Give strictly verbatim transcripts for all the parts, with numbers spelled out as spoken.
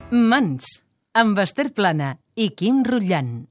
Mans, amb Esther Plana i Quim Rutllant.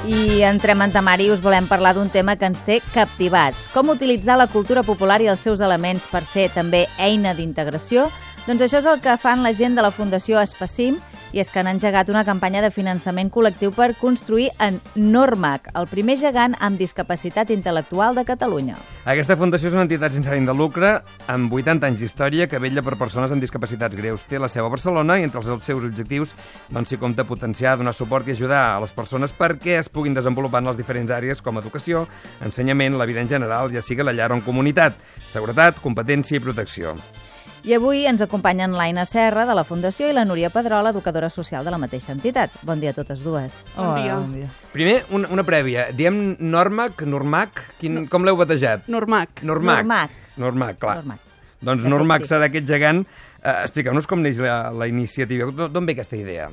I entrem en temari i us volem parlar d'un tema que ens té captivats. Com utilitzar la cultura popular i els seus elements per ser també eina d'integració? Doncs això és el que fan la gent de la Fundació Espacim, i és que han engegat una campanya de finançament col·lectiu per construir en Normac, el primer gegant amb discapacitat intel·lectual de Catalunya. Aquesta fundació és una entitat sense ànim de lucre amb vuitanta anys d'història que vetlla per persones amb discapacitats greus. Té la seu a Barcelona i entre els seus objectius doncs, s'hi compta potenciar, donar suport i ajudar a les persones perquè es puguin desenvolupar en les diferents àrees com educació, ensenyament, la vida en general, ja sigui la llar o en comunitat, seguretat, competència i protecció. I avui ens acompanyen l'Aina Serra, de la Fundació, i la Núria Pedrola, educadora social de la mateixa entitat. Bon dia a totes dues. Bon dia. Oh, bon dia. Primer, una, una prèvia. Diem Normac, Normac? Quin, no. Com l'heu batejat? Normac. Normac. Normac. Normac, clar. Normac. Doncs De Normac fet, sí. serà aquest gegant. Uh, Expliqueu-nos com neix la, la iniciativa. D'on ve aquesta idea?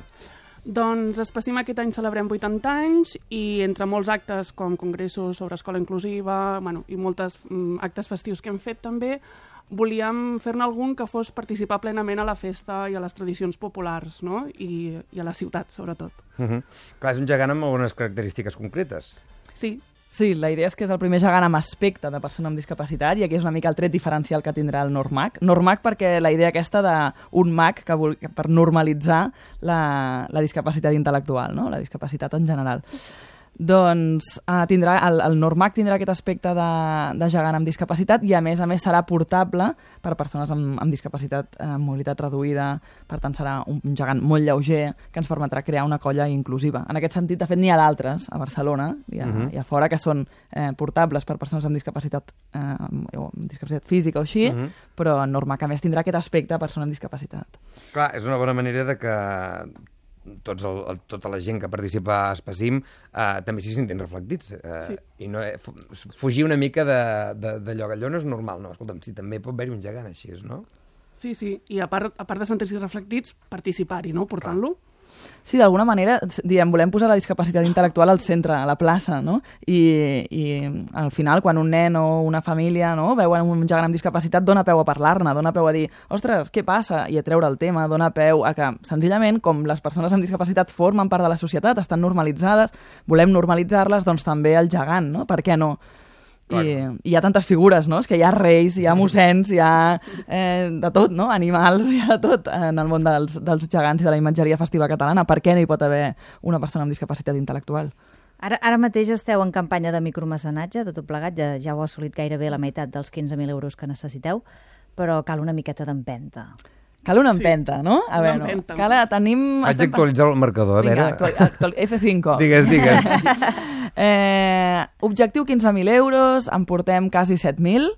Doncs Espacim aquest any celebrem vuitanta anys i entre molts actes com congressos sobre escola inclusiva bueno, i moltes mm, actes festius que hem fet també, volíem fer-ne algun que fos participar plenament a la festa i a les tradicions populars, no? I, i a la ciutat, sobretot. Uh -huh. Clar, és un gegant amb algunes característiques concretes. Sí. Sí, la idea és que és el primer gegant amb aspecte de persona amb discapacitat i aquí és una mica el tret diferencial que tindrà el Normac. Normac perquè la idea aquesta d'un mag que vol, per normalitzar la, la discapacitat intel·lectual, no? La discapacitat en general. Doncs uh, tindrà, el, el Normac tindrà aquest aspecte de, de gegant amb discapacitat i a més a més serà portable per persones amb, amb discapacitat, eh, amb mobilitat reduïda, per tant serà un, un gegant molt lleuger que ens permetrà crear una colla inclusiva. En aquest sentit, de fet, n'hi ha d'altres a Barcelona i a, uh -huh. i a fora que són eh, portables per persones amb discapacitat, eh, o amb discapacitat física o així, uh -huh. però en Normac a més tindrà aquest aspecte de persona amb discapacitat. Clar, és una bona manera de que tots el, el, tota la gent que participa a Espacim eh, també s'hi sentin reflectits eh, Sí. i no, eh, fugir una mica d'allò que allò no és normal, no? Escolta'm, si també pot haver-hi un gegant així, no? Sí, sí. I a part, a part de sentir-s'hi reflectits, participar-hi, no? Portant-lo. Sí, d'alguna manera, diem, volem posar la discapacitat intel·lectual al centre, a la plaça, no? I, i al final, quan un nen o una família no, veuen un gegant amb discapacitat, dona peu a parlar-ne, dona peu a dir, ostres, què passa? I a treure el tema, dona peu a que, senzillament, com les persones amb discapacitat formen part de la societat, estan normalitzades, volem normalitzar-les, doncs també el gegant, no? Per què no? I, i hi ha tantes figures, no? És que hi ha reis, hi ha mossens, hi ha eh, de tot, no? Animals, hi ha de tot en el món dels, dels gegants i de la imatgeria festiva catalana. Per què no hi pot haver una persona amb discapacitat intel·lectual? Ara, ara mateix esteu en campanya de micromecenatge, de tot plegat, ja, ja heu assolit gairebé la meitat dels quinze mil euros que necessiteu, però cal una miqueta d'empenta. Cal una empenta, sí. no? A Una veure, empenta. cal, tenim... Haig d'actualitzar el marcador, a Vinga, veure... actual, actual, F cinco. Digues, digues. Eh, objectiu quinze mil euros, en portem quasi set mil.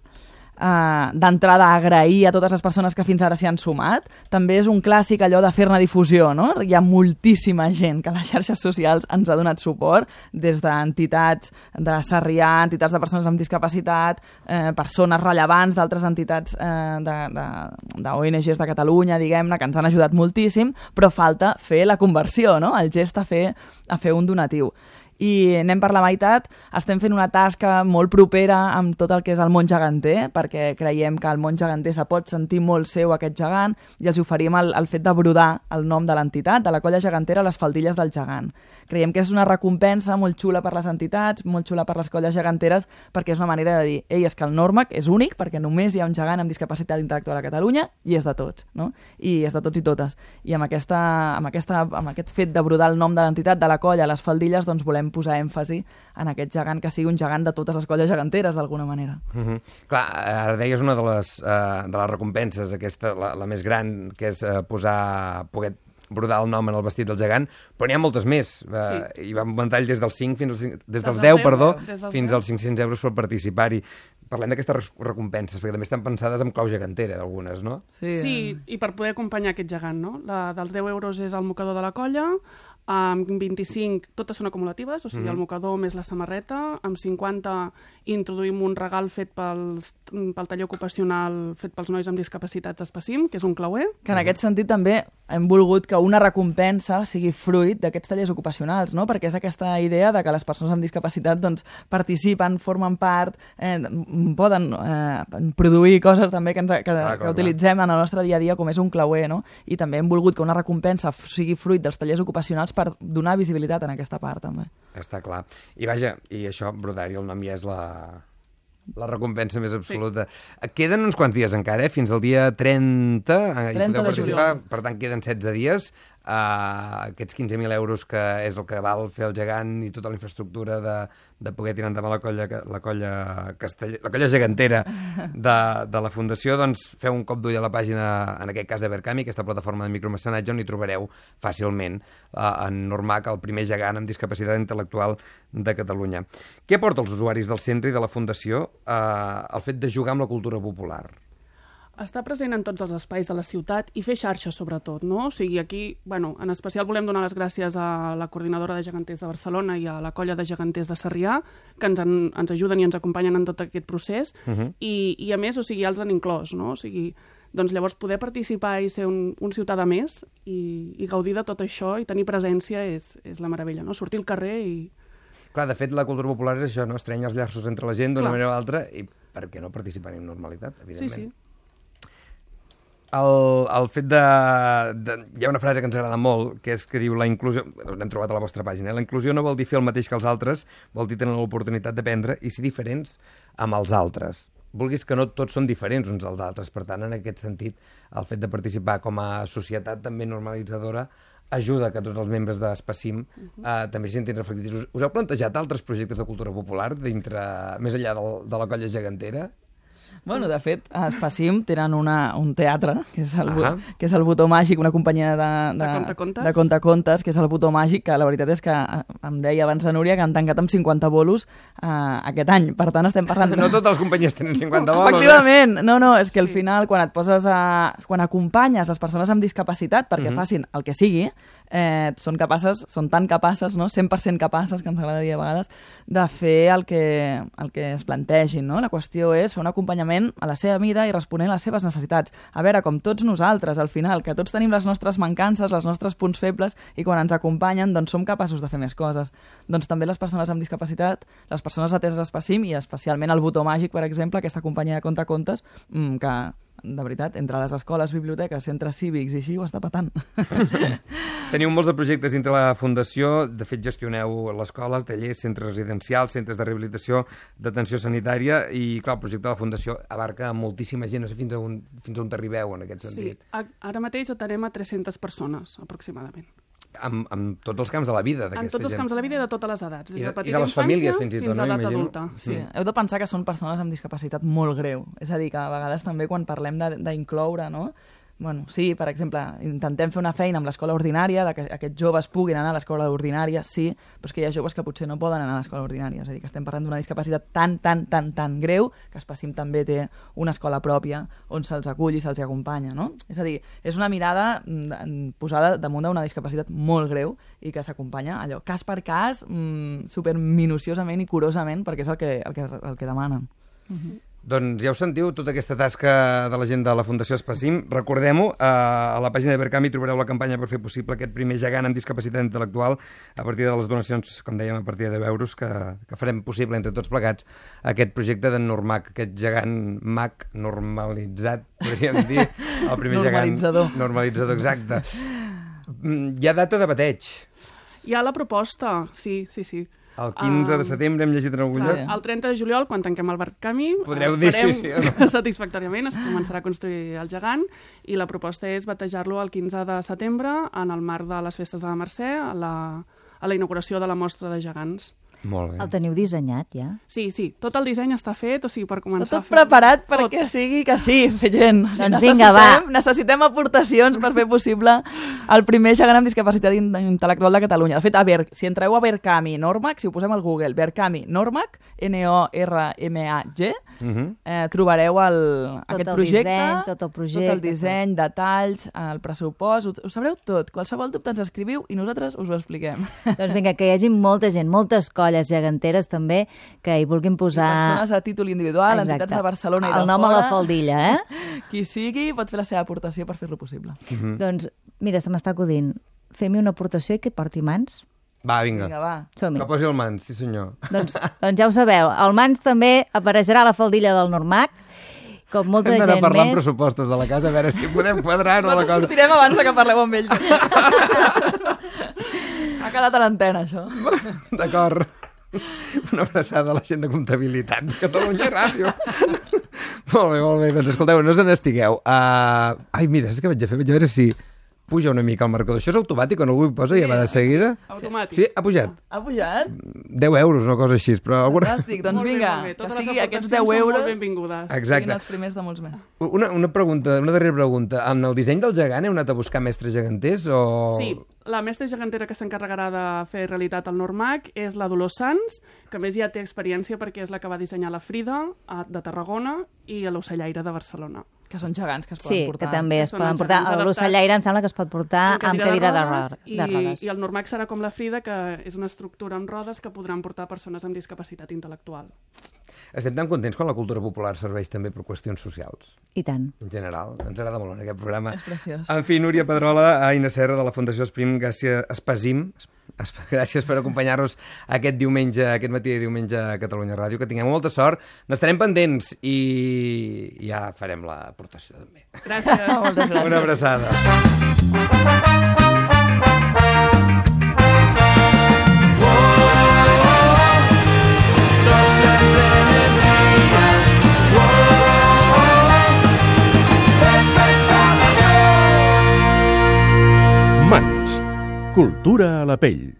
Uh, d'entrada agrair a totes les persones que fins ara s'hi han sumat. També és un clàssic allò de fer-ne difusió, no? Hi ha moltíssima gent que a les xarxes socials ens ha donat suport, des d'entitats de Sarrià, entitats de persones amb discapacitat, eh, persones rellevants d'altres entitats eh, de, de, de O N Ges de Catalunya, diguem-ne, que ens han ajudat moltíssim, però falta fer la conversió, no? El gest a fer, a fer un donatiu. I anem per la meitat, estem fent una tasca molt propera amb tot el que és el món geganter, perquè creiem que el món geganter se pot sentir molt seu aquest gegant i els oferim el, el fet de brodar el nom de l'entitat, de la colla gegantera, a les faldilles del gegant. Creiem que és una recompensa molt xula per les entitats, molt xula per les colles geganteres, perquè és una manera de dir, ei, és que el Normac és únic, perquè només hi ha un gegant amb discapacitat intel·lectual a Catalunya i és de tots, no? I és de tots i totes. I amb, aquesta, amb, aquesta, amb aquest fet de brodar el nom de l'entitat, de la colla, a les faldilles, doncs volem posar èmfasi en aquest gegant que sigui un gegant de totes les colles geganteres, d'alguna manera. Uh -huh. Clar, ara deies una de les, uh, de les recompenses, aquesta, la, la més gran, que és uh, posar, poder brodar el nom en el vestit del gegant, però n'hi ha moltes més. Uh, sí. Hi va un ventall des dels cinc fins als cinc, des dels deu, perdó, fins als cinc-cents euros per participar-hi. Parlem d'aquestes recompenses, perquè també estan pensades amb clau gegantera, algunes, no? Sí, sí, i per poder acompanyar aquest gegant, no? La dels deu euros és el mocador de la colla, amb vint-i-cinc totes són acumulatives, o sigui, mm-hmm. el mocador més la samarreta, amb cinquanta introduïm un regal fet pels, pel taller ocupacional fet pels nois amb discapacitat Espacim, que és un clauer. Que en aquest sentit també hem volgut que una recompensa sigui fruit d'aquests tallers ocupacionals, no? Perquè és aquesta idea de que les persones amb discapacitat doncs, participen, formen part, eh, poden eh, produir coses també que, ens, que, clar, clar, que utilitzem en el nostre dia a dia, com és un clauer, no? I també hem volgut que una recompensa sigui fruit dels tallers ocupacionals per donar visibilitat en aquesta part, també. Està clar. I vaja, i això, brodari, el nom ja és la... la recompensa més absoluta. Sí. Queden uns quants dies encara, eh? Fins al dia trenta. trenta de juliol. Per tant, queden setze dies. Uh, aquests quinze mil euros que és el que val fer el gegant i tota la infraestructura de, de poder tirar endavant la colla, la colla, castell... la colla gegantera de, de la Fundació, doncs feu un cop d'ull a la pàgina, en aquest cas de Verkami, aquesta plataforma de micromecenatge, on hi trobareu fàcilment uh, en Normac, el primer gegant amb discapacitat intel·lectual de Catalunya. Què aporta als usuaris del centre i de la Fundació uh, el fet de jugar amb la cultura popular? Està present en tots els espais de la ciutat i fer xarxa, sobretot, no? O sigui, aquí, bueno, en especial volem donar les gràcies a la coordinadora de geganters de Barcelona i a la colla de geganters de Sarrià, que ens, en, ens ajuden i ens acompanyen en tot aquest procés, uh -huh. I, i a més, o sigui, ja els han inclòs, no? O sigui, doncs llavors poder participar i ser un, un ciutadà més i, i gaudir de tot això i tenir presència és, és la meravella, no? Sortir al carrer i... Clar, de fet, la cultura popular és això, no? Estrenya els llaços entre la gent d'una manera o altra i per què no participar amb normalitat, evidentment. Sí, sí. El, el fet de, de... Hi ha una frase que ens agrada molt, que és que diu la inclusió... L'hem trobat a la vostra pàgina. Eh? La inclusió no vol dir fer el mateix que els altres, vol dir tenir l'oportunitat d'aprendre i ser diferents amb els altres. Vulguis que no tots som diferents uns als altres. Per tant, en aquest sentit, el fet de participar com a societat també normalitzadora ajuda que tots els membres d'Espacim uh-huh. eh, també s'hi sentin reflectits. Us, us heu plantejat altres projectes de cultura popular dintre, més enllà del, de la colla gegantera? Bueno, de fet, a Espacim tenen una, un teatre, que és, el, ah. que és el Botó Màgic, una companyia de, de, de contacontes, de contacontes, que és el Botó Màgic, que la veritat és que em deia abans la Núria que han tancat amb cinquanta bolos uh, aquest any. Per tant, estem parlant... No totes les companyies tenen cinquanta bolos. Efectivament. Eh? No, no, és que al final, quan et poses a... quan acompanyes les persones amb discapacitat perquè uh-huh. facin el que sigui, eh, són capaces, són tan capaces, no? cent per cent capaces, que ens agrada dir a vegades, de fer el que, el que es plantegin, no? La qüestió és fer un acompanyament a la seva mida i responent a les seves necessitats. A veure, com tots nosaltres, al final, que tots tenim les nostres mancances, els nostres punts febles, i quan ens acompanyen, doncs som capaços de fer més coses. Doncs també les persones amb discapacitat, les persones ateses a Espacim, i especialment el Botó Màgic, per exemple, aquesta companyia de contacontes, que, de veritat, entre les escoles, biblioteques, centres cívics i així, ho està patant. Teniu molts de projectes dintre la Fundació, de fet gestioneu les escoles, tallers, centres residencials, centres de rehabilitació, d'atenció sanitària, i clar, el projecte de la Fundació abarca moltíssima gent, no sé fins a on, fins a on t'arribeu en aquest sentit. Sí, ara mateix atenem a tres-centes persones, aproximadament. Amb, amb tots els camps de la vida d'aquesta gent. En tots els camps de la vida i de totes les edats, des de petita I de les famílies, fins i tot, fins a no? edat adulta. Sí. sí, heu de pensar que són persones amb discapacitat molt greu. És a dir, que a vegades també quan parlem d'incloure, no? Bueno, sí, per exemple, intentem fer una feina amb l'escola ordinària, de que aquests joves puguin anar a l'escola ordinària, sí, però és que hi ha joves que potser no poden anar a l'escola ordinària. És a dir, que estem parlant d'una discapacitat tan, tan, tan, tan greu que Espacim també té una escola pròpia on se'ls acull i se'ls acompanya, no? És a dir, és una mirada posada damunt d'una discapacitat molt greu i que s'acompanya allò, cas per cas, mmm, super minuciosament i curosament, perquè és el que, el que, el que demanen. Uh-huh. Doncs ja ho sentiu, tota aquesta tasca de la gent de la Fundació Espacim. Recordem-ho, eh, a la pàgina de Verkami trobareu la campanya per fer possible aquest primer gegant amb discapacitat intel·lectual a partir de les donacions, com dèiem, a partir de deu euros, que, que farem possible entre tots plegats aquest projecte d'en Normac, aquest gegant mag normalitzat, podríem dir, el primer normalitzador. gegant normalitzador, exacte. Hi ha data de bateig. Hi ha la proposta, sí, sí, sí. El quinze de setembre hem llegit en algun lloc. El trenta de juliol, quan tanquem el Verkami, podreu dir sí, sí, no? satisfactòriament, es començarà a construir el gegant i la proposta és batejar-lo el quinze de setembre en el marc de les festes de la Mercè, a la, a la inauguració de la mostra de gegants. Molt bé. El teniu dissenyat, ja? Sí, sí. Tot el disseny està fet, o sigui, per començar està tot a fer... preparat perquè sigui que sí, fer gent. Doncs necessitem, vinga, va. Necessitem aportacions per fer possible el primer gegant amb discapacitat intel·lectual de Catalunya. De fet, a Ver, si entreu a Verkami Normac, si ho posem al Google, Verkami Normac, N O R M A G, uh-huh. eh, trobareu el, tot aquest el projecte, disseny, tot el projecte, tot el disseny, tot. detalls, el pressupost, ho, ho sabreu tot. Qualsevol dubte ens escriviu i nosaltres us ho expliquem. Doncs vinga, que hi hagi molta gent, moltes colles, olles geganteres també, que hi vulguin posar... Persones a títol individual, Exacte. entitats de Barcelona i de el nom fora. a la faldilla, eh? Qui sigui pot fer la seva aportació per fer-lo possible. Mm. Doncs, mira, se m'està acudint. Fem-hi una aportació i que porti mans. Va, vinga. Vinga, va. Som-hi. Que posi el mans, sí senyor. Doncs, doncs ja ho sabeu. El mans també apareixerà a la faldilla del Normac, com molta Hem d'anar gent parlant més. pressupostos de la casa, a veure si podem quadrar-ho la Nosaltres cosa. sortirem abans de que parleu amb ells. Ha quedat a l'antena, això. D'acord. Una abraçada a la gent de comptabilitat de Catalunya Ràdio. Molt bé, molt bé. Doncs escolteu, no us n'estigueu. Uh, ai, mira, saps què vaig a fer? Vaig a veure si puja una mica el marcador. Això és automàtic, quan algú hi posa i ja va de seguida? Automàtic. Sí, ha pujat. Ha pujat? deu euros, una cosa així, però... Alguna... Fantàstic, doncs Molt bé, vinga, molt bé. que Totes sigui les aquests aportacions deu són euros molt benvingudes. siguin Exacte. els primers de molts més. Una, una pregunta, una darrera pregunta. En el disseny del gegant heu anat a buscar mestres geganters o...? Sí, la mestra gegantera que s'encarregarà de fer realitat el Normac és la Dolors Sans, que a més ja té experiència perquè és la que va dissenyar la Frida a- de Tarragona i l'Ocellaire de Barcelona. Que són gegants que es poden Sí, portar. que també es Són poden uns portar. gegants L'ocellaire em sembla que es pot portar amb cadira de, rodes ro i, de rodes. I el Normac serà com la Frida, que és una estructura amb rodes que podran portar persones amb discapacitat intel·lectual. Estem tan contents quan la cultura popular serveix també per qüestions socials. I tant. En general, ens agrada molt en aquest programa. És preciós. En fi, Núria Pedrola, Aina Serra, de la Fundació Esprim, gràcies, Espasim, es- gràcies per acompanyar-nos aquest diumenge, aquest matí de diumenge a Catalunya Ràdio. Que tinguem molta sort, n'estarem pendents i ja farem l'aportació també. Gràcies. Moltes gràcies. Una abraçada. Mans. Cultura a la pell.